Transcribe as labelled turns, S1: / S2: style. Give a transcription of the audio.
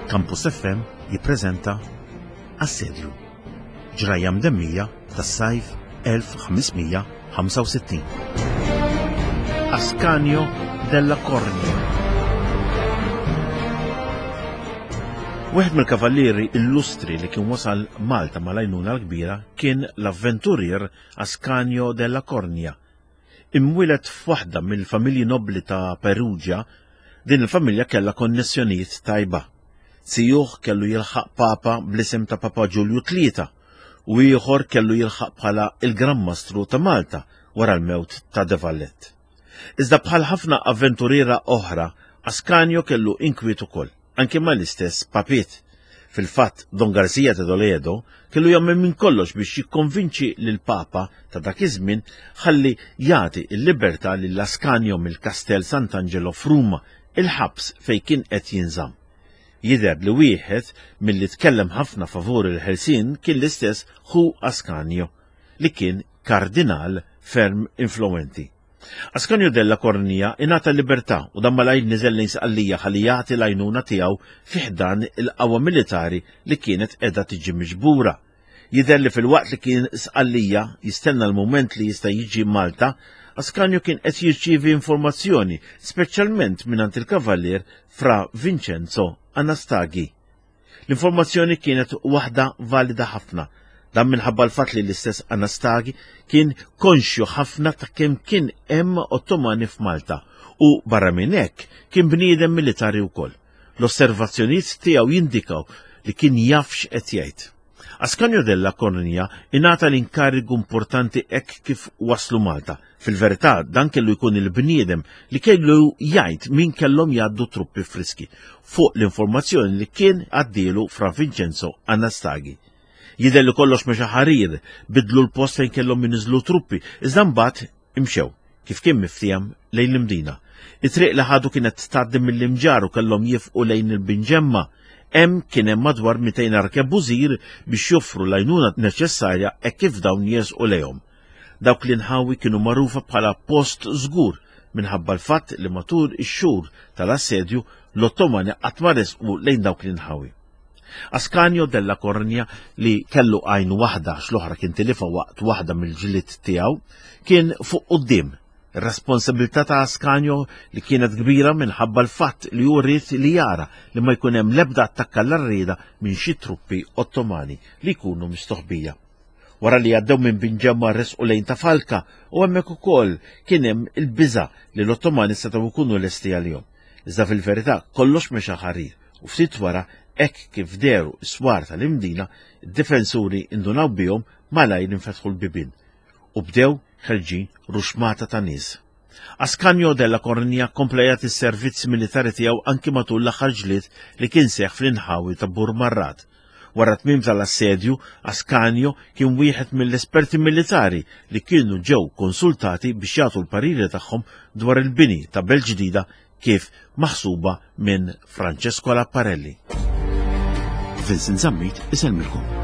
S1: Campus FM jippreżenta Assedju. Ġrajja mdemmija tas-sajf 1565. Ascanio della Cornia. Wieħed mill-kavallieri illustri li kien wasal Malta mal-għajnuna l-kbira kien l-avventurier Ascanio della Cornia. Imwieled f'waħda mill-familji nobbli ta' Perugia, din il-familja kellha konnessjonijiet tajba. Zijuh kellu jilħaq Papa bl-isem ta' Papa Ġulju Tlieta u ieħor kellu jilħaq bħala il-Gran Mastru ta' Malta wara l-mewt ta' De Vallette. Iżda bħal ħafna avventuriera oħra, Ascanio kellu inkwiet ukoll, anke mal-istess papiet. Fil-fatt, Don Garcia de Toledo kellu jagħmel minn kollox biex jikkonvinċi lill-Papa ta' dak iż-żmien ħalli jagħti l-libertà lil Ascanio mill-Kastell Sant'Angelo f'Ruma, il-ħabs fejn kien qed jinżamm. Jidher li wieħed milli tkellem ħafna favur il-ħelsien kien l-istess ħu Ascanio, li kien kardinal ferm influwenti. Ascanio della Cornia ingħata l-libertà u dan malajr niżel lejn Sqallija ħalli jagħti l-għajnuna tiegħu fi ħdan il-qawwa militari li kienet qiegħda tiġi miġbura. Jidher li filwaqt li kien Sqallija jistenna l-mument li jista' jiġi Malta, Ascanio kien qed jirċievi informazzjoni, speċjalment mingħand il-Kavallier Fra Vincenzo Anastagi. L-informazzjoni kienet waħda valida ħafna, dan minħabba l-fatt li l-istess Anastagi kien konxju ħafna ta' kemm kien hemm Ottomani f'Malta u barra minn hekk kien bniedem militari wkoll. L-osservazzjonijiet tiegħu jindikaw li kien jaf x'qed jgħid. Ascanio della Cornia ingħata l-inkarigu importanti hekk kif waslu Malta. Fil-verità dan kellu jkun il-bniedem li kellu jgħid min kellhom jgħaddu truppi friski fuq l-informazzjoni li kien għaddielu Fra Vincenzo Anastagi. Jidher li kollox mexa ħarir, bidlu l-post fejn kellhom jinżlu truppi, iżda mbagħad Imxew, kif kien miftiehem, lejn l-Imdina. It-triq li ħadu kienet tgħaddi mill-Imġarr u kellhom jifqu lejn il-Binġemma. Hemm kien hemm madwar 200 arkebużir biex joffru l-għajnuna neċessarja hekk kif dawn jersqu lejhom. Dawk l-inħawi kienu magħrufa bħala post żgur minħabba l-fatt li matul ix-xhur tal-assedju l-Ottomani qatt ma resqu lejn dawk l-inħawi. Ascanio della Cornia li kellu għajn waħda għax l-oħra kien tilifha waqt waħda mill-ġlied tiegħu, kien fuq quddiem. Ir-responsabilità ta' Ascanio li kienet kbira minħabba l-fatt li hu ried li jara li ma jkun hemm l-ebda attakk għall-għarrieda minn xi truppi Ottomani li jkunu mistoħbija. Wara li għaddew minn Binġemma resqu lejn ta' Falka u hemmhekk ukoll kien hemm il-biża' li l-Ottomani setgħu jkunu lesti għalihom. Iżda fil-verità kollox mexa ħarir u ftit wara hekk kif dehru s-swar tal-Imdina, id-difensuri indunaw bihom malajr infetħu l-bibien u bdew ħerġin ruxmata ta' nies. Ascanio della Cornia kompla jagħti s-servizz militari tiegħu anki matul l-aħħar ġlied li kien seħħ fl-inħawi ta' Burmarrad. Wara tmiem tal-assedju, Ascanio kien wieħed mill-esperti militari li kienu ġew konsultati biex jagħtu l-pariri tagħhom dwar il-bini ta' belt ġdida kif maħsuba minn Francesco Lapparelli. Vincent Zammit isellmilkom.